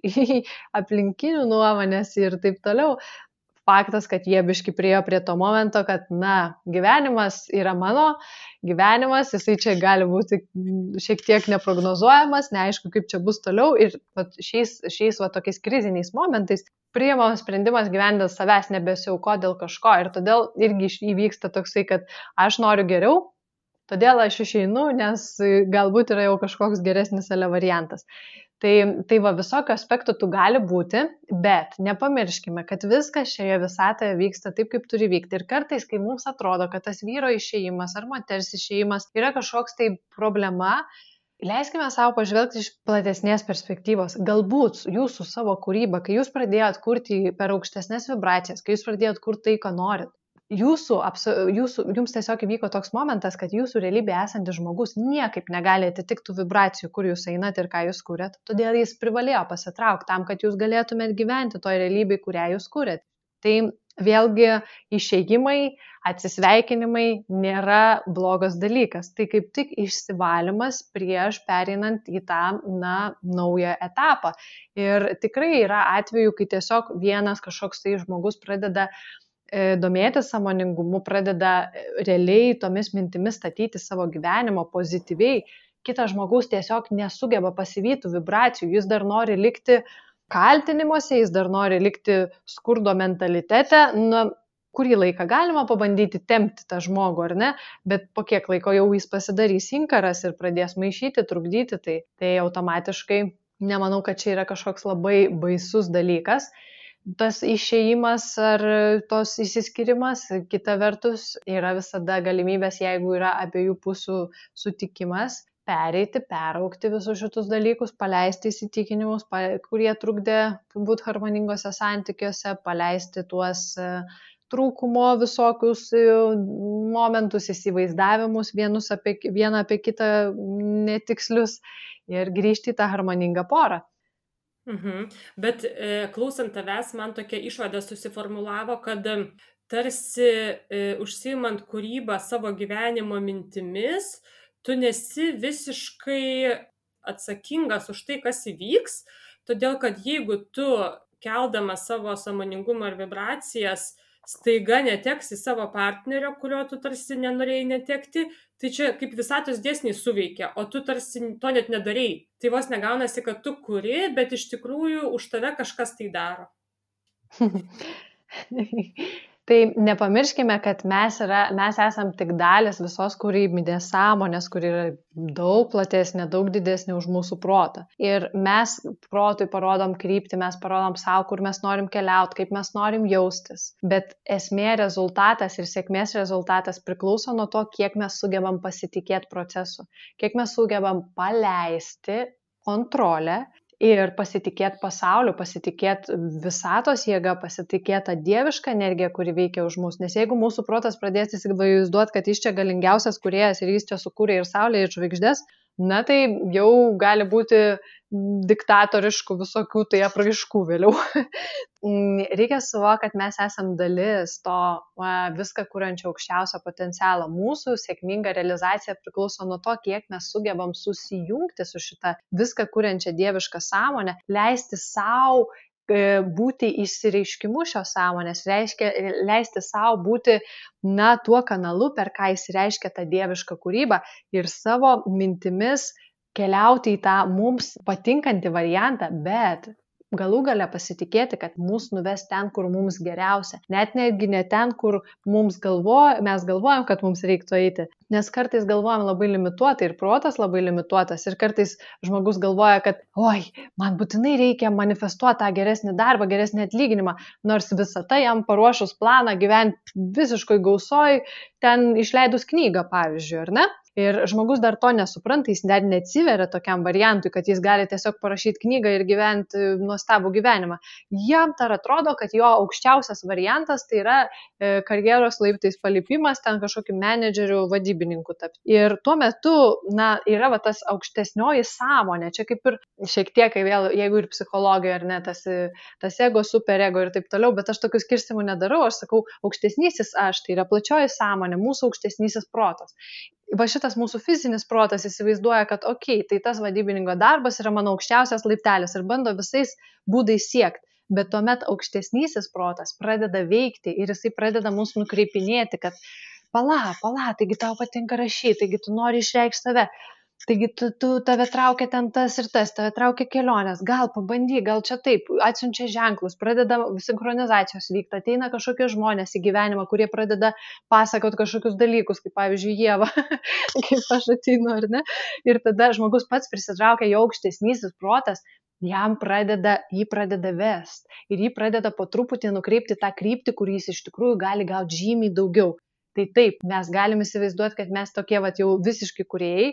aplinkinių nuomonės ir taip toliau, faktas, kad jie biški priėjo prie to momento, kad, na, gyvenimas yra mano, gyvenimas, jisai čia gali būti šiek tiek neprognozuojamas, neaišku, kaip čia bus toliau ir vat, šiais, šiais vat, tokiais kriziniais momentais priimamas sprendimas gyventi dėl savęs, nebesiauko dėl kažko ir todėl irgi įvyksta toksai, kad aš noriu geriau, todėl aš išeinu, nes galbūt yra jau kažkoks geresnis ale variantas. Tai, tai va, visokio aspektų tų gali būti, bet nepamirškime, kad viskas šioje visatoje vyksta taip, kaip turi vykti. Ir kartais, kai mums atrodo, kad tas vyro išėjimas ar moters išėjimas yra kažkoks tai problema, leiskime savo pažvelgti iš platesnės perspektyvos. Galbūt jūsų savo kūrybą, kai jūs pradėjot kurti per aukštesnės vibracijas, kai jūs pradėjot kurti tai, ką norit, Jūsų, jūsų, jums tiesiog įvyko toks momentas, kad jūsų realybėje esantis žmogus niekaip negali atitikti vibracijų, kur jūs einat ir ką jūs kūrėt. Todėl jis privalėjo pasitraukti tam, kad jūs galėtumėt gyventi toj realybėje, kurią jūs kūrėt. Tai vėlgi išėjimai, atsisveikinimai nėra blogas dalykas. Tai kaip tik išsivalymas prieš pereinant į tą, na, naują etapą. Ir tikrai yra atvejų, kai tiesiog vienas kažkoks tai žmogus pradeda domėtis sąmoningumu, pradeda realiai tomis mintimis statyti savo gyvenimo pozityviai, kitas žmogus tiesiog nesugeba pasivyti vibracijų, jis dar nori likti kaltinimuose, jis dar nori likti skurdo mentalitete, na, kurį laiką galima pabandyti tempti tą žmogų, ar ne, bet po kiek laiko jau jis pasidarys inkaras ir pradės maišyti, trukdyti, tai, tai automatiškai nemanau, kad čia yra kažkoks labai baisus dalykas. Tas išėjimas ar tos įsiskyrimas, kita vertus, yra visada galimybės, jeigu yra abiejų pusių sutikimas, pereiti, peraugti visus šitus dalykus, paleisti įsitikinimus, kurie trukdė būti harmoningose santykiuose, paleisti tuos trūkumo visokius momentus, įsivaizdavimus, vienus apie, vieną apie kitą netikslius ir grįžti į tą harmoningą porą. Mhm. Bet e, klausant tavęs, man tokia išvada susiformulavo, kad tarsi e, užsiimant kūrybą savo gyvenimo mintimis, tu nesi visiškai atsakingas už tai, kas įvyks, todėl kad jeigu tu keldamas savo sąmoningumą ir vibracijas staiga neteksi savo partnerio, kurio tu tarsi nenorėjai netekti, tai čia kaip visatos dėsniai suveikia, o tu tarsi to net nedarei. Tai vos negaunasi, kad tu kuri, bet iš tikrųjų už tave kažkas tai daro. Tai nepamirškime, kad mes, yra, mes esam tik dalis visos kūrybinės sąmonės, kuri yra daug platesnė, daug didesnė už mūsų protą. Ir mes protui parodom kryptį, mes parodom savo, kur mes norim keliauti, kaip mes norim jaustis. Bet esmė, rezultatas ir sėkmės rezultatas priklauso nuo to, kiek mes sugebam pasitikėti procesu, kiek mes sugebam paleisti kontrolę ir pasitikėti pasauliu, pasitikėti visatos jėga, pasitikėti tą dievišką energiją, kuri veikia už mus. Nes jeigu mūsų protas pradės įsivaizduoti, kad jis čia galingiausias kūrėjas ir jis čia sukūrė ir saulę, ir žvaigždės, na tai jau gali būti diktatoriškų visokių tai apraiškų vėliau. Reikia suvokti, kad mes esam dalis to va, viską kuriančio aukščiausio potencialo. Mūsų sėkminga realizacija priklauso nuo to, kiek mes sugebam susijungti su šitą viską kuriančią dievišką sąmonę, leisti savo būti išsireiškimu šios sąmonės, reiškia, leisti savo būti, na, tuo kanalu, per ką įsireiškia tą dievišką kūrybą ir savo mintimis keliauti į tą mums patinkantį variantą, bet galų gale pasitikėti, kad mus nuves ten, kur mums geriausia. Net netgi ne ten, kur mums galvo, mes galvojam, kad mums reiktų eiti. Nes kartais galvojam labai limituotai ir protas labai limituotas. Ir kartais žmogus galvoja, kad oi, man būtinai reikia manifestuoti tą geresnį darbą, geresnį atlyginimą, nors visata jam paruošus planą gyventi visiškai gausoj, ten išleidus knygą, pavyzdžiui, ar ne? Ir žmogus dar to nesupranta, jis net neatsiveria tokiam variantui, kad jis gali tiesiog parašyti knygą ir gyventi nuostabų gyvenimą. Jam dar atrodo, kad jo aukščiausias variantas tai yra e, karjeros laiptais palipimas, ten kažkokiu menedžeriu, vadybininku tapti. Ir tuo metu, na, yra va, tas aukštesnioji sąmonė, čia kaip ir šiek tiek, kai vėl, jeigu ir psichologija, ar ne, tas, tas ego, superego ir taip toliau, bet aš tokių skirstimų nedarau, aš sakau, aukštesnysis aš, tai yra plačioji sąmonė, mūsų aukštesnysis protas. Va šitas mūsų fizinis protas įsivaizduoja, kad okei, okay, tai tas vadybininko darbas yra mano aukščiausias laiptelis ir bando visais būdais siekti. Bet tuomet aukštesnysis protas pradeda veikti ir jisai pradeda mus nukreipinėti, kad pala, pala, taigi tau patinka rašyti, taigi tu nori išreikšti save. Taigi tu, tu tave traukia ten tas ir tas, tave traukia kelionės, gal pabandy, gal čia taip, atsiunčia ženklus, pradeda sinchronizacijos vykti, ateina kažkokie žmonės į gyvenimą, kurie pradeda pasakoti kažkokius dalykus, kaip pavyzdžiui Ieva, kaip aš ateinu, ar ne? Ir tada žmogus pats prisitraukia jo aukštesnysis protas, jam pradeda, jį pradeda vest ir jį pradeda po truputį nukreipti tą kryptį, kur jis iš tikrųjų gali gauti žymiai daugiau. Tai taip, mes galim įsivaizduoti, kad mes tokie vat, jau visiškai kūrėjai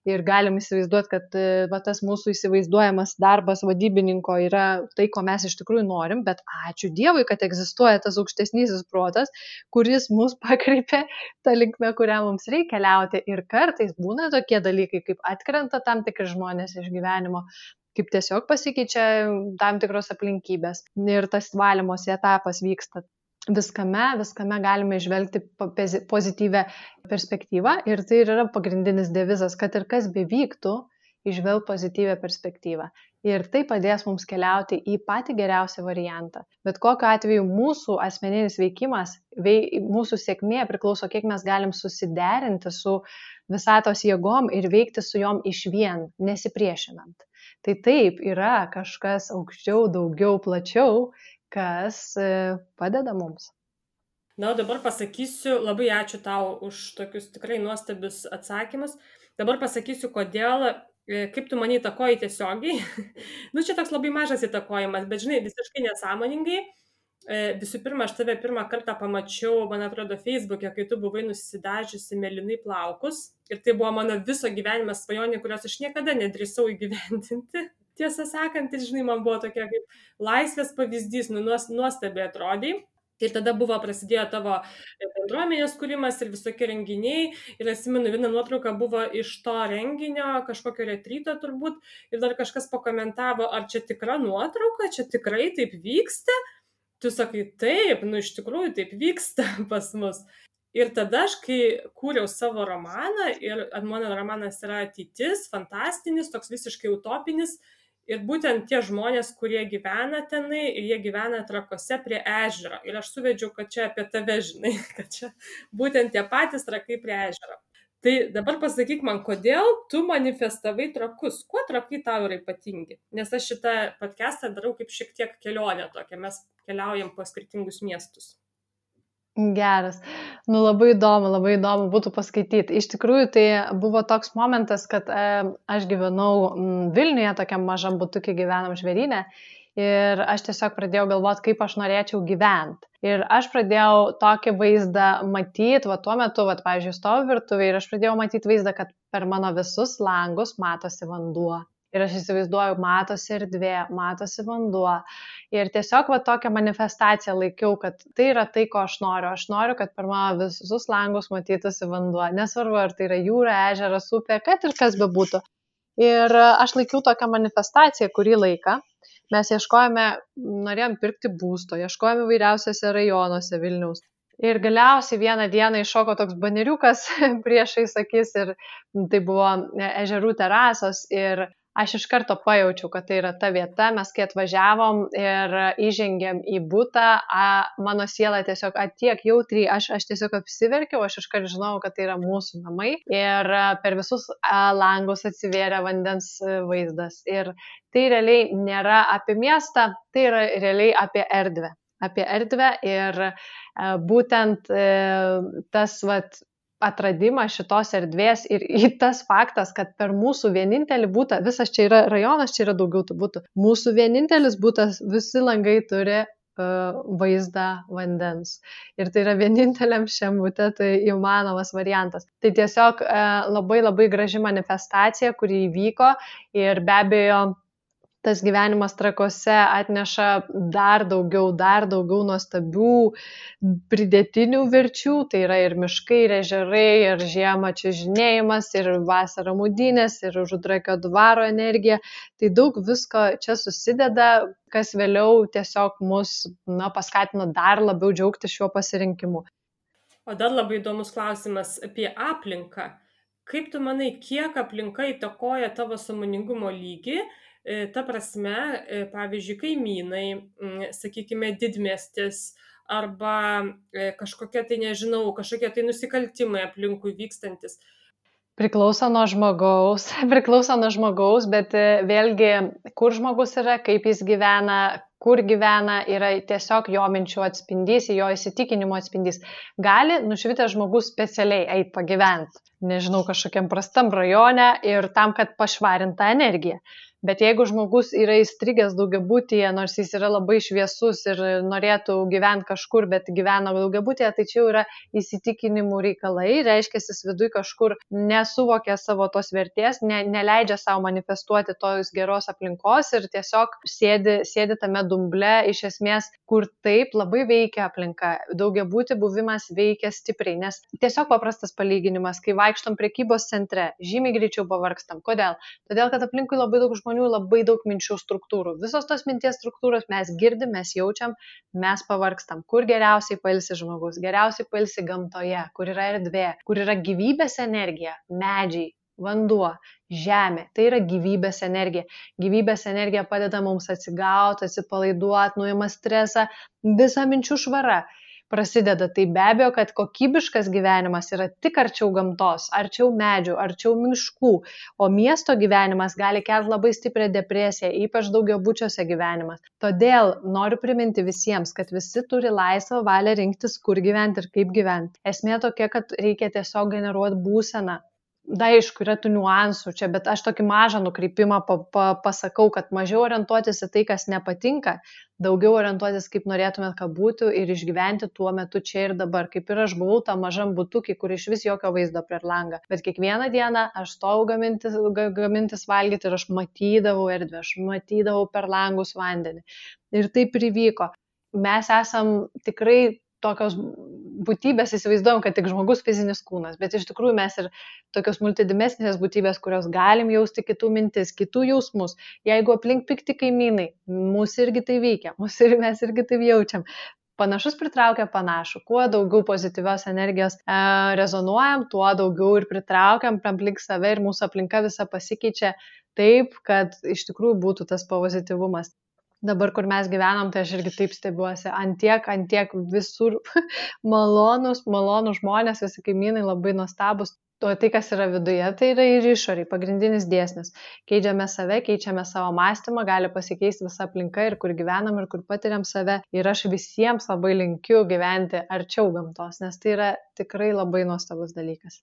ir galim įsivaizduoti, kad va, tas mūsų įsivaizduojamas darbas vadybininko yra tai, ko mes iš tikrųjų norim, bet ačiū Dievui, kad egzistuoja tas aukštesnysis protas, kuris mus pakreipia tą linkmę, kurią mums reikia keliauti. Ir kartais būna tokie dalykai, kaip atkrenta tam tikri žmonės iš gyvenimo, kaip tiesiog pasikeičia tam tikros aplinkybės ir tas valymosi etapas vyksta. Viskame, viskame galime išvelgti pozityvę perspektyvą ir tai yra pagrindinis devizas, kad ir kas bevyktų, išvelg pozityvę perspektyvą. Ir tai padės mums keliauti į patį geriausią variantą. Bet kokiu atveju mūsų asmeninis veikimas, vei, mūsų sėkmė priklauso, kiek mes galim susiderinti su visatos jėgom ir veikti su jom išvien, nesipriešinant. Tai taip yra kažkas aukščiau, daugiau, plačiau, kas padeda mums. Na, dabar pasakysiu, labai ačiū tau už tokius tikrai nuostabius atsakymus. Dabar pasakysiu, kodėl, kaip tu mane įtakoji tiesiogiai. Nu, čia toks labai mažas įtakojimas, bet žinai, visiškai nesąmoningai. Visų pirma, aš tave pirmą kartą pamačiau, man atrodo, Facebook'e, kai tu buvai nusidažiusi mėlynai plaukus. Ir tai buvo mano viso gyvenimo svajonė, kurios aš niekada nedrįsau įgyvendinti. Tiesą sakant, tai, žinai, man buvo tokia kaip laisvės pavyzdys, nu, nuostabiai atrodai. Ir tada buvo prasidėjo tavo bendruomenės kūrimas ir visokie renginiai. Ir atsimenu, viena nuotrauka buvo iš to renginio, kažkokio retryto turbūt. Ir dar kažkas pakomentavo, ar čia tikra nuotrauka, čia tikrai taip vyksta. Tu sakai, taip, nu iš tikrųjų taip vyksta pas mus. Ir tada aš, kai kūriau savo romaną, ir mano romanas yra ateitis, fantastinis, toks visiškai utopinis, ir būtent tie žmonės, kurie gyvena tenai, ir jie gyvena Trakuose prie ežero. Ir aš suvedžiau, kad čia apie tave, žinai, kad čia būtent tie patys Trakai prie ežero. Tai dabar pasakyk man, kodėl tu manifestavai Trakus? Kuo Trakai tau yra ypatingi? Nes aš šitą podcastą darau kaip šiek tiek kelionę tokią. Mes keliaujam po skirtingus miestus. Geras. Nu, labai įdomu, labai įdomu būtų paskaityti. Iš tikrųjų, tai buvo toks momentas, kad e, aš gyvenau m, Vilniuje, tokiam mažam butukį gyvenam Žvėryne, ir aš tiesiog pradėjau galvoti, kaip aš norėčiau gyventi. Ir aš pradėjau tokį vaizdą matyti, va tuo metu, va, pavyzdžiui, stoviu virtuvėje ir aš pradėjau matyti vaizdą, kad per mano visus langus matosi vanduo. Ir aš įsivaizduoju, matosi erdvė, matosi vanduo. Ir tiesiog va tokią manifestaciją laikiau, kad tai yra tai, ko aš noriu. Aš noriu, kad per mano visus langus matytųsi vanduo. Nesvarbu, ar tai yra jūra, ežeras, upė, kad ir kas bebūtų. Ir aš laikiau tokią manifestaciją kurį laiką. Mes ieškojame, norėjom pirkti būsto, ieškojame vairiausiose rajonuose Vilniaus. Ir galiausiai vieną dieną iššoko toks baneriukas priešais akis ir tai buvo ežerų terasos ir aš iš karto pajaučiau, kad tai yra ta vieta, mes kai atvažiavom ir įžengėm į butą, a, mano siela tiesiog atiek jautriai, aš, aš tiesiog apsiverkiau, aš iš karto žinau, kad tai yra mūsų namai ir per visus a, langus atsivėrė vandens vaizdas. Ir tai realiai nėra apie miestą, tai yra realiai apie erdvę. Apie erdvę ir a, būtent a, tas vat, atradimas šitos erdvės ir tas faktas, kad per mūsų vienintelį butą, visas čia yra rajonas, čia yra daugiau tų butų, mūsų vienintelis butas, visi langai turi uh, vaizdą vandens. Ir tai yra vieninteliam šiam bute, tai įmanomas variantas. Tai tiesiog uh, labai labai graži manifestacija, kuri įvyko ir be abejo, tas gyvenimas Trakuose atneša dar daugiau, dar daugiau nuostabių pridėtinių verčių, tai yra ir miškai, ir ežerai, ir žiemą čiuožinėjimas, ir vasarą maudynės, ir Užutrakio dvaro energija, tai daug visko čia susideda, kas vėliau tiesiog mus na, paskatino dar labiau džiaugtis šiuo pasirinkimu. O dar labai įdomus klausimas apie aplinką. Kaip tu manai, kiek aplinka įtakoja tavo sąmoningumo lygį? Ta prasme, pavyzdžiui, kaimynai, sakykime, didmiestis arba kažkokie tai, nežinau, kažkokie tai nusikaltimai aplinkui vykstantis. Priklauso nuo žmogaus, priklauso nuo žmogaus, bet vėlgi, kur žmogus yra, kaip jis gyvena, kur gyvena, yra tiesiog jo minčių atspindys, jo įsitikinimo atspindys. Gali nušvitęs žmogus specialiai eiti pagyventi, nežinau, kažkokiam prastam rajone ir tam, kad pašvarinta energija. Bet jeigu žmogus yra įstrigęs daugiabutyje, nors jis yra labai šviesus ir norėtų gyventi kažkur, bet gyvena daugiabutyje, tai čia jau yra įsitikinimų reikalai, reiškia, jis viduj kažkur nesuvokia savo tos vertės, ne, neleidžia savo manifestuoti tos geros aplinkos ir tiesiog sėdi, sėdi tame dumble, iš esmės, kur taip labai veikia aplinka. Daugiabutį buvimas veikia stipriai, nes tiesiog paprastas palyginimas, kai vaikštom prekybos centre, žymiai greičiau pavargstam. Kodėl? Todėl, kad aplinkui labai daug žmonių, labai daug minčių struktūrų. Visos tos minties struktūros mes girdim, mes jaučiam, mes pavargstam. Kur geriausiai pailsi žmogus? Geriausiai pailsi gamtoje, kur yra erdvė, kur yra gyvybės energija, medžiai, vanduo, žemė. Tai yra gyvybės energija. Gyvybės energija padeda mums atsigauti, atsipalaiduoti, nuima stresą, visa minčių švara prasideda. Tai be abejo, kad kokybiškas gyvenimas yra tik arčiau gamtos, arčiau medžių, arčiau miškų, o miesto gyvenimas gali kelti labai stiprią depresiją, ypač daugiabučiuose gyvenimas. Todėl noriu priminti visiems, kad visi turi laisvą valią rinktis, kur gyventi ir kaip gyventi. Esmė tokia, kad reikia tiesiog generuoti būseną. Da, aišku, yra tų niuansų čia, bet aš tokį mažą nukreipimą pa, pa, pasakau, kad mažiau orientuotis į tai, kas nepatinka, daugiau orientuotis, kaip norėtumėt, kad būtų ir išgyventi tuo metu čia ir dabar. Kaip ir aš buvau tam mažam butukį, kur iš vis jokio vaizdo prie langą. Bet kiekvieną dieną aš stovau gamintis, gamintis valgyti ir aš matydavau erdvę, aš matydavau per langus vandenį. Ir taip ir įvyko. Mes esam tikrai tokios būtybės, įsivaizduojam, kad tik žmogus fizinis kūnas, bet iš tikrųjų mes ir tokios multidimesnės būtybės, kurios galim jausti kitų mintis, kitų jausmus. Jeigu aplink pikti kaimynai, mūsų irgi tai veikia, mūsų ir mes irgi taip jaučiam. Panašus pritraukia panašų. Kuo daugiau pozityvios energijos e, rezonuojam, tuo daugiau ir pritraukiam aplink save ir mūsų aplinka visa pasikeičia taip, kad iš tikrųjų būtų tas pozityvumas. Dabar, kur mes gyvenam, tai aš irgi taip stebiuosi, antiek, antiek visur malonus, malonus žmonės, visi kaimynai labai nuostabus. O tai, kas yra viduje, tai yra ir išoriai, pagrindinis dėsnis. Keičiame save, keičiame savo mąstymą, gali pasikeisti visa aplinka ir kur gyvenam ir kur patiriam save. Ir aš visiems labai linkiu gyventi arčiau gamtos, nes tai yra tikrai labai nuostabus dalykas.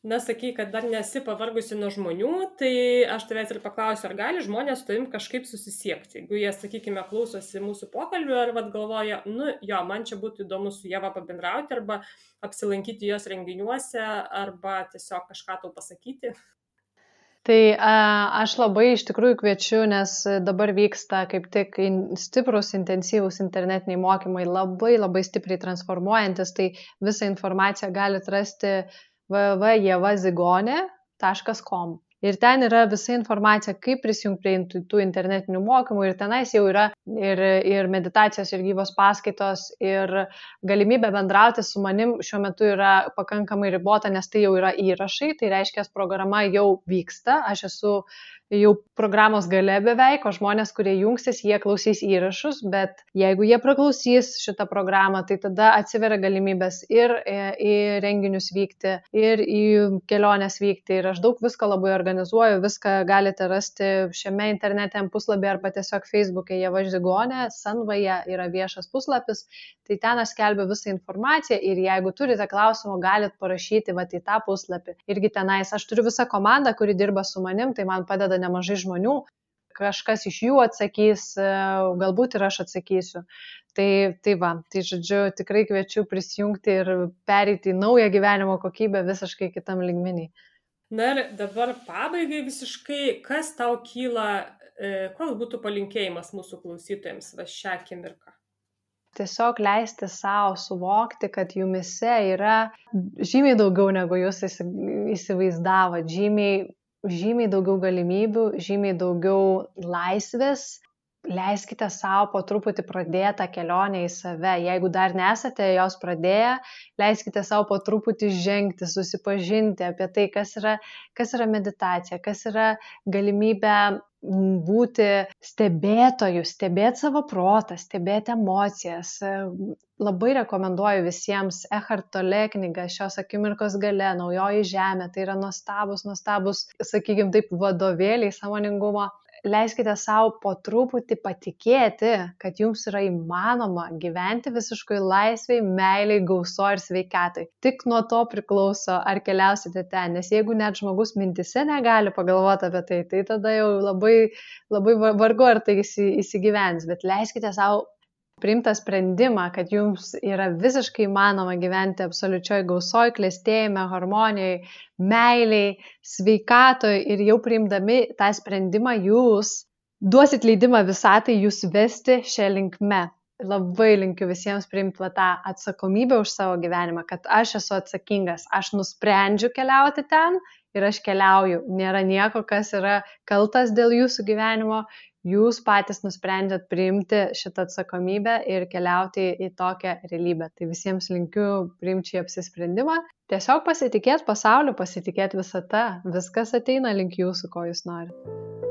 Na, sakai, kad dar nesi pavargusi nuo žmonių, tai aš tavęs ir paklausiu, ar gali žmonės su tavim kažkaip susisiekti. Jeigu jie, sakykime, klausosi mūsų pokalbių, ar vat galvoja, nu jo, man čia būtų įdomu su Ieva pabendrauti, arba apsilankyti jos renginiuose, arba tiesiog kažką tau pasakyti. Tai a, aš labai iš tikrųjų kviečiu, nes dabar vyksta kaip tik stiprus, intensyvūs internetiniai mokymai, labai labai stipriai transformuojantis, tai visą informaciją galite rasti w w w taškas ieva zigonė taškas com. Ir ten yra visa informacija, kaip prisijungti prie tų internetinių mokymų ir tenais jau yra ir, ir meditacijos, ir gyvos paskaitos, ir galimybė bendrauti su manim šiuo metu yra pakankamai ribota, nes tai jau yra įrašai, tai reiškia, programa jau vyksta, aš esu jau programos gale beveik, o žmonės, kurie jungsis, jie klausys įrašus, bet jeigu jie praklausys šitą programą, tai tada atsiveria galimybės ir į renginius vykti, ir į keliones vykti, ir aš daug visko labai organizuoju, viską galite rasti šiame internetiniam puslapyje arba tiesiog Facebook'e Ieva Žigonė, Sanvaja yra viešas puslapis, tai ten aš skelbiu visą informaciją ir jeigu turite klausimų, galite parašyti vat į tą puslapį. Irgi tenais aš turiu visą komandą, kuri dirba su manim, tai man padeda nemažai žmonių, kažkas iš jų atsakys, galbūt ir aš atsakysiu. Tai, tai va, tai žodžiu, tikrai kviečiu prisijungti ir pereiti į naują gyvenimo kokybę visiškai kitam lygmenį. Na ir dabar pabaigai visiškai, kas tau kyla, koks būtų palinkėjimas mūsų klausytojams va šią akimirką? Tiesiog leisti savo suvokti, kad jumise yra žymiai daugiau negu jūs įsivaizdavot, žymiai žymiai daugiau galimybių, žymiai daugiau laisvės. Leiskite savo po truputį pradėti tą kelionę į save. Jeigu dar nesate jos pradėję, leiskite savo po truputį žengti, susipažinti apie tai, kas yra, kas yra meditacija, kas yra galimybė būti stebėtoju, stebėti savo protą, stebėti emocijas. Labai rekomenduoju visiems Eckhart Tolle knygą Šios akimirkos gale, Naujoji žemė. Tai yra nuostabus, nuostabus, sakykime taip, vadovėliai sąmoningumo. Leiskite savo po truputį patikėti, kad jums yra įmanoma gyventi visiškai laisvai, meiliai, gauso ir sveikatai. Tik nuo to priklauso, ar keliausite ten, nes jeigu net žmogus mintise negali pagalvoti apie tai, tai tada jau labai, labai vargu ar tai įsigyvens, bet leiskite savo priimtą sprendimą, kad jums yra visiškai įmanoma gyventi absoliučioj gausoj, klestėjime, harmonijai, meiliai, sveikatoj ir jau priimdami tą sprendimą jūs duosit leidimą visatai jūs vesti šią linkme. Labai linkiu visiems priimti va tą atsakomybę už savo gyvenimą, kad aš esu atsakingas, aš nusprendžiu keliauti ten ir aš keliauju. Nėra nieko, kas yra kaltas dėl jūsų gyvenimo. Jūs patys nusprendžiat priimti šitą atsakomybę ir keliauti į tokią realybę. Tai visiems linkiu priimti šį apsisprendimą. Tiesiog pasitikėti pasauliu, pasitikėti visata. Viskas ateina link jūsų, ko jūs norite.